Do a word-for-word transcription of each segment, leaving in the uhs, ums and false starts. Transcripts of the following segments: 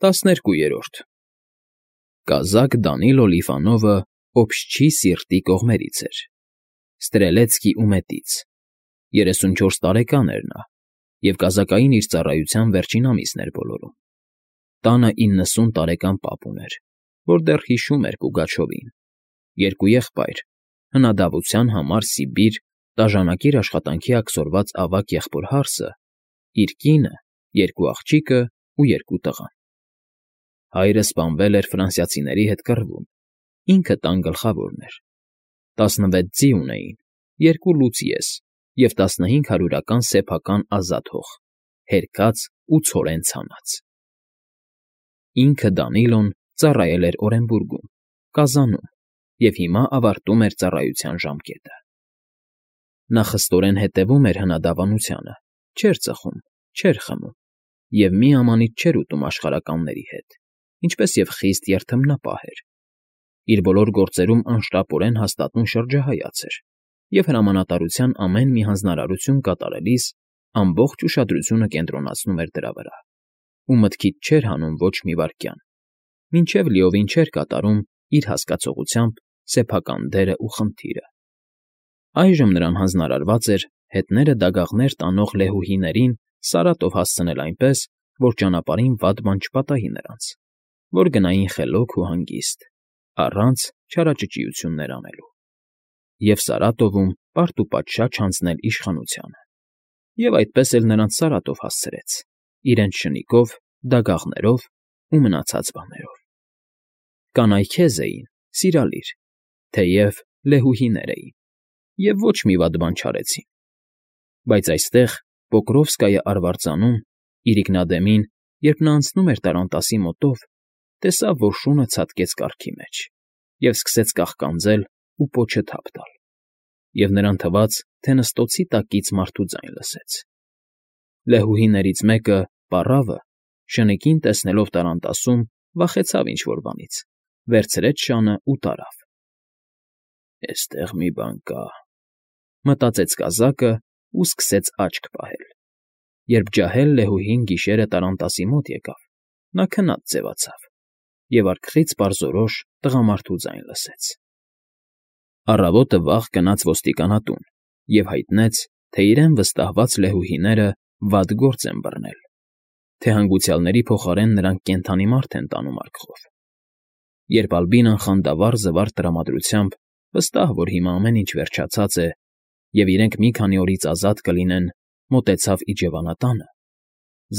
ՏԱՍՆԵՐԿՈՒԵՐՈՐԴ Կազակ Դանիլո Լիվանովը Օբշչի Սիրտի կողմերից էր, Ստրելեցկի ումետից, երեսունչորս տարեկան էր նա և կազակային իր ծառայության վերջին ամիսն էր բոլորում. տանը իննսուն տարեկան պապ ուներ, որ դեռ հիշում էր Պուգաչովին, երկու եղբայր, հնադավության համար Սիբիր տաժանակիր աշխատանքի աքսորված ավագ եղբոր հարսը, իր կինը, երկու աղջիկը ու երկու տղան. հայրը սպանվել էր ֆրանսիացիների հետ կռվում, ինքը տան գլխավորն էր, տասնվեց ձի ունեին, երկու լուծիես և տասնհինգ հարյուրական սեփական ազատ հող, հերքած ու ցորեն ցանած. ինքը Դանիլոն ծառայել էր Օրենբուրգում, Կազանում և հիմա ավարտում էր ծառայության ժամկետը. նա խստորեն հետևում էր հնադավանությանը, չէր ծխում, չէր խմում և միամանիտ չէր ուտում աշխարհականների հետ, ինչպես և խիստ երդմնապահ էր, իր բոլոր գործերում անշտապորեն հաստատուն շրջահայաց էր և հրամանատարության ամեն մի հանձնարարություն կատարելիս ամբողջ ուշադրությունը կենտրոնացնում էր դրա վրա ու մտքից չէր հանում ոչ մի վայրկյան, մինչև լիովին չէր կատարում իր հասկացողությամբ սեփական դերն ու խնդիրը. այժմ նրան հանձնարարված էր հետները դագաղներ տանող լեհուհիներին Սարատով հասցնել այնպես, որ ճանապարհին վատ բան չպատահի նրանց, որ գնային խելոք ու հանգիստ, առանց չարաճճիություններ անելու, և Սարատովում պարտուպատշաճ հանձնել իշխանությանը, և այդպես էլ նրանց Սարատով հասցրեց, իրենց շնիկով, դագաղներով ու մնացած բաներով. կանայք հեզ էին, սիրալիր, թեև լեհուհիներ էին և ոչ մի վատ բան չարեցին, բայց այստեղ, Պոկրովսկայի արվարձանում, իրիկնադեմին, երբ նա անցնում էր տառանտասի մոտով, տեսավ, որ շունը ցատկեց կառքի մեջ և սկսեց կաղկանձել ու պոչը թափ տալ, և նրան թվաց, թե նստոցի տակից մարդու ձայն լսեց. լեհուհիներից մեկը՝ պառավը, շնիկին տեսնելով տառանտասում, վախեցավ ինչ֊որ բանից, վերցրեց շանը ու տարավ։ «Էստեղ մի բան կա,֊ մտածեց կազակը ու սկսեց աչք պահել։ Երբ ջահել լեհուհին գիշերը տառանտասի մոտ եկավ, նա քնած ձևացավ և արքխից պարզորոշ տղամարդու ձայն լսեց։ Առավոտը վաղ գնաց ոստիկանատուն և հայտնեց, թե իրեն վստահված լեհուհիները վատ գործ են բռնել, թե հանգուցյալների փոխարեն նրանք կենդանի մարդ են տանում արկղով։ Երբ Ալբինան խանդավառ զվարթ տրամադրությամբ, վստահ, որ հիմա ամեն ինչ վերջացած է և իրենք մի քանի օրից ազատ կլինեն, մոտեցավ իջևանատանը,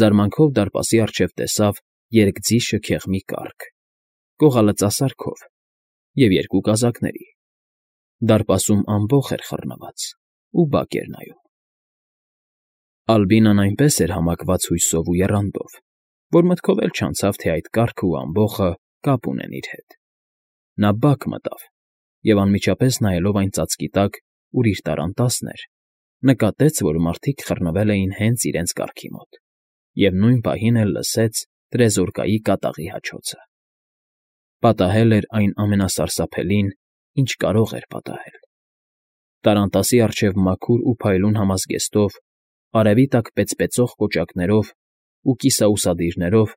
զարմանքով դարպասի առջև տեսավ երկձի շքեղ մի կառք, գողալծասարքով և երկու կազակների. դարպասում ամբոխ էր խռնված ու բակ էր նայում։ Ալբինան այնպես էր համակված հույսով ու եռանդով, որ մտքով էլ չանցավ, թե այդ կառքն ու ամբոխը կապ ունեն իր հետ. նա բակ մտավ և անմիջապես նայելով այն ծածկի տակ, ուր իր տառանտասն էր, նկատեց, որ մարդիկ խռնվել էին հենց իրենց կառքի մոտ և նույն պահին էլ լսեց տրեզորկայի կատաղի հաչոցը. պատահել էր այն ամենասարսափելին, ինչ կարող էր պատահել. տառանտասի առջև մաքուր ու փայլուն համազգեստով, արևի տակ պեծպեցող կոճակներով ու կիսաուսադիրներով,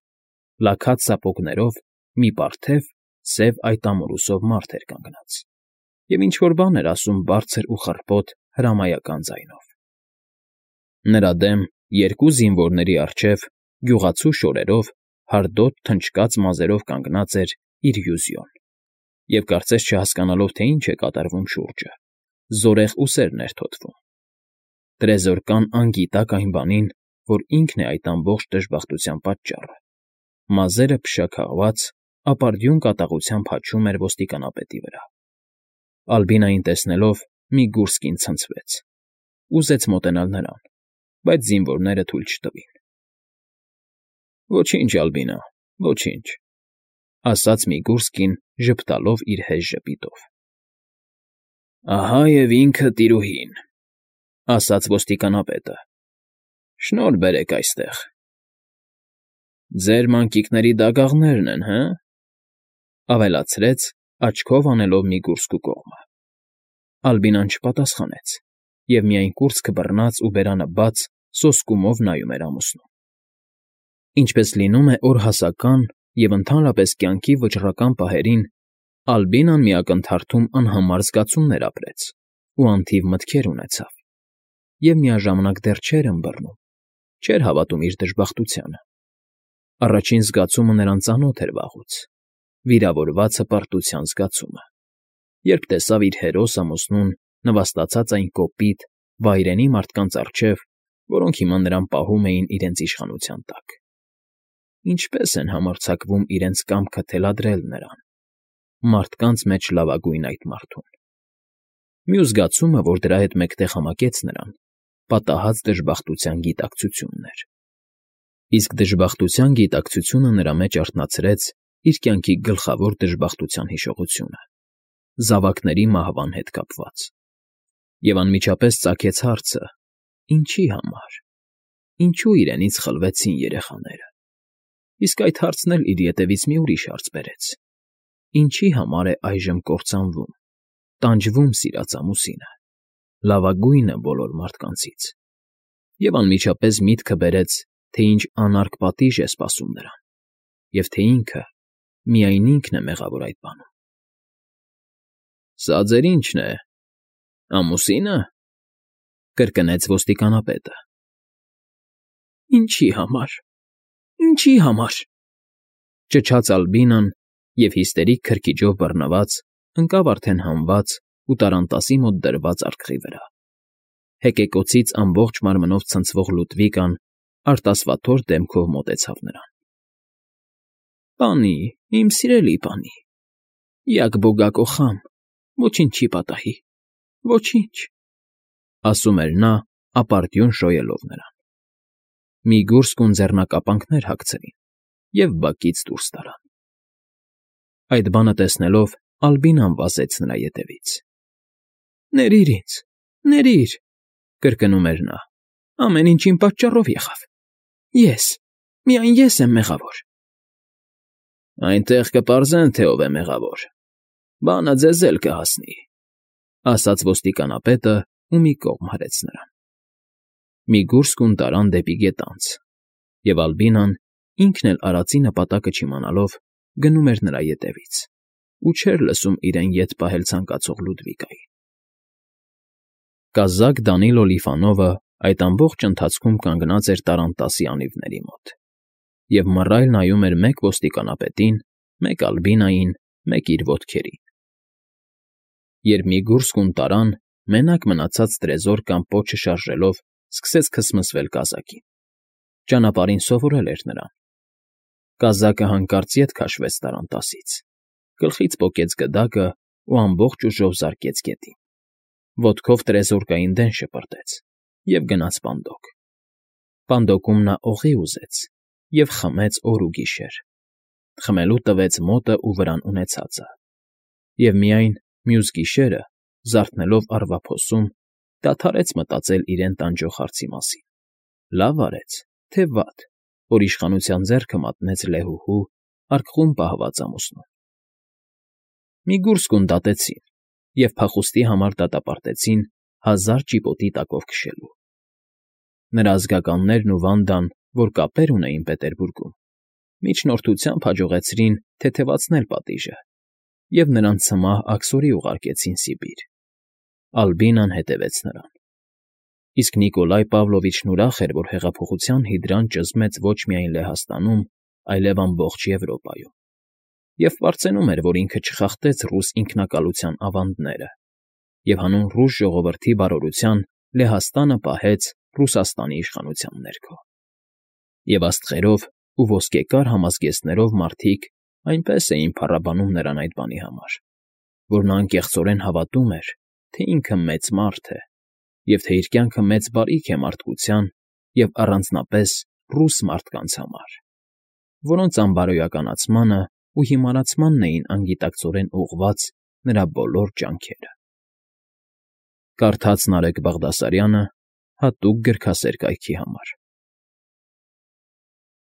լաքած սապոգներով մի պարթև, սև այտամորուսով մարդ էր կանգնած և ինչ֊որ բան էր ասում բարձր ու խռպոտ հրամայական ձայնով։ Նրա դեմ երկու զինվորների առջև, գյուղացու շորերով, հարդոտ թնչկաց մազերով կանգնած էր իր Յուզյոն և, կարծես չհասկանալով, թե ինչ է կատարվում շուրջը, զորեղ ուսերն էր թոթվում։ Տրեզորկան անգիտակ այն բանին, որ ինքն է այդ ամբողջ դժբախտության պատճառը, մազերը փշաքաղված, ապարդյուն կատաղությամբ հաչում էր ոստիկանապետի վրա։ Ալբինային տեսնելով՝ մի գուրս կին ցնցվեց, ուզեց մոտենալ նրան, բայց զինվորները թույլ չտվին։ «Ոչինչ, Ալբինա, ոչինչ,֊ ասաց մի գուրս կին ժպտալով իր հեժ ժպիտով։ «Ահա և ինքը տիրուհին,֊ ասաց ոստիկանապետը,֊ շնորհ բերեք այստեղ։ Ձեր մանկիկների դագաղներն են, հը՞,֊ ավելացրեց, աչքով անելով մի գուրսկու կողմը։ Ալբինան չպատասխանեց և միայն կուրծքը բռնած ու բերանը բաց, սոսկումով նայում էր ամուսնուն։ Ինչպես լինում է օրհասական և ընդհանրապես կյանքի վճռական պահերին, Ալբինան մի ակնթարթում անհամար զգացումներ ապրեց ու անթիվ մտքեր ունեցավ, և միաժամանակ դեռ չէր ըմբռնում, չէր հավատում իր դժբախտությանը։ Առաջին զգացումը նրան ծանոթ էր վաղուց՝ վիրավորված հպարտության զգացումը, երբ տեսավ իր հերոս ամուսնուն նվաստացած այն կոպիտ, վայրենի մարդկանց առջև, որոնք հիմա նրան պահում էին իրենց իշխանության տակ։ Ինչպե՞ս են համարձակվում իրենց կամքը թելադրել նրան, մարդկանց մեջ լավագույն այդ մարդուն։ Մյուս զգացումը, որ դրա հետ մեկտեղ համակեց նրան, պատահած դժբախտության գիտակցությունն էր։ Իսկ դժբախտության գիտակցությունը նրա մեջ արթնացրեց իր կյանքի գլխավոր դժբախտության հիշողությունը՝ զավակների մահվան հետ կապված, և անմիջապես ծագեց հարցը. ինչի համար, ինչու իրենից խլվեցին երեխաները։ Իսկ այդ հարցն էլ իր ետևից մի ուրիշ հարց բերեց. ինչի համար է այժմ կործանվում, տանջվում սիրած ամուսինը, լավագույնը բոլոր մարդկանցից, և անմիջապես միտքը բերեց, թե ինչ անարգ պատիժ է սպասում նրան, և թե ինքը, միայն ինքն է մեղավոր այդ բանում։ «Սա ձեր ի՞նչն է, ամուսինը», ֊ կրկնեց ոստիկանապետը։ «Ինչի համար, ինչի համար», ֊ ճչաց Ալբինան և հիստերիկ քրքիջով բռնված ընկավ արդեն հանված ու տառանտասի մոտ դրված արկղի վրա։ Հեկեկոցից ամբողջ մարմնով ցնցվող Լուդվիկան արտասվաթոր դեմքով մոտեցավ նրան։ «Պանի, իմ սիրելի պանի, յակ բոգա կոխամ, ոչինչ չի պատահի, ոչինչ», ֊ ասում էր նա, ապարդյուն շոյելով նրան։ Միգուրսկուն ձեռնակապանքներ հագցրին և բակից դուրս տարան։ Այդ բանը տեսնելով Ալբինան վազեց նրա ետևից։ «Ներիր ինձ, ներիր», ֊ կրկնում էր նա, «ամեն ինչ իմ պատճառով եղավ։ Ես, միայն ես եմ մեղավոր»։ «Այնտեղ կպարզեն, թե ով է մեղավոր, բանը ձեզ էլ կհասնի», ֊ ասաց ոստիկանապետը ու մի կողմ հրեց նրան։ Միգուրսկուն տարան դեպի գետանց, և Ալբինան, ինքն էլ արածի նպատակը չիմանալով, գնում էր նրա ետևից ու չէր լսում իրեն ետ պահել ցանկացող Լուդվիկային։ Կազակ Դանիլո Լիֆանովը այդ ամբողջ ընթացքում կանգնած էր տառանտասի անիվների մոտ և մռայլ նայում էր մեկ ոստիկանապետին, մեկ Ալբինային, մեկ իր ոտքերին։ Երբ միգուրսկուն տարան, մենակ մնացած տրեզոր կամ պոչը շարժելով սկսեց քսմսվել կազակին։ Ճանապարհին սովորել էր նրան։ Կազակը հանկարծ ետ քաշվեց տառանտասից, գլխից պոկեց գդակը ու ամբողջ ուժով զարկեց գետին։ Ոտքով տրեզորկային դեն շպրտեց և գնաց պանդոկ։ Պանդոկում նա օղի ուզեց և խմեց օր ու գիշեր, խմելու տվեց մոտը ու վրան ունեցածը, և միայն մյուս գիշերը, զարթնելով առվափոսում, դադարեց մտածել իրեն տանջող հարցի մասին. լավ արեց, թե վատ, որ իշխանության ձեռքը մատնեց լեհուհու, արկղում պահված ամուսնուն։ Միգուրսկուն դատեցին և փախուստի համար դատապարտեցին հազար ճիպոտի տակով քշելու։ Նրա ազգականներն ու Վանդան, որ կապեր ունեին Պետերբուրգում, միջնորդությամբ հաջողեցրին թեթևացնել պատիժը և նրան ցմահ աքսորի ուղարկեցին Սիբիր։ Ալբինան հետևեց նրան։ Իսկ Նիկոլայ Պավլովիչն ուրախ էր, որ հեղափոխության հիդրան ճզմեց ոչ միայն Լեհաստանում, այլև ամբողջ Եվրոպայում, և պարծենում էր, որ ինքը չխախտեց ռուս ինքնակալության ավանդները և հանուն ռուս ժողովրդի բարօրության Լեհաստանը պահեց Ռուսաստանի իշխանության ներքո։ Եվ աստղերով ու ոսկեկար համազգեստներով մարդիկ այնպես էին փառաբանում նրան այդ բանի համար, որ նա անկեղծորեն հավատում էր, թե ինքը մեծ մարդ է, և թե իր կյանքը մեծ բարիք է մարդկության և առանձնապես ռուս մարդկանց համար, որոնց անբարոյականացմանն ու հիմարացմանն էին անգիտակցորեն ուղղված նրա բոլոր ջանքերը։ Կարդաց Նարեկ Բաղդասարյանը հատուկ գրքասեր կայքի համար։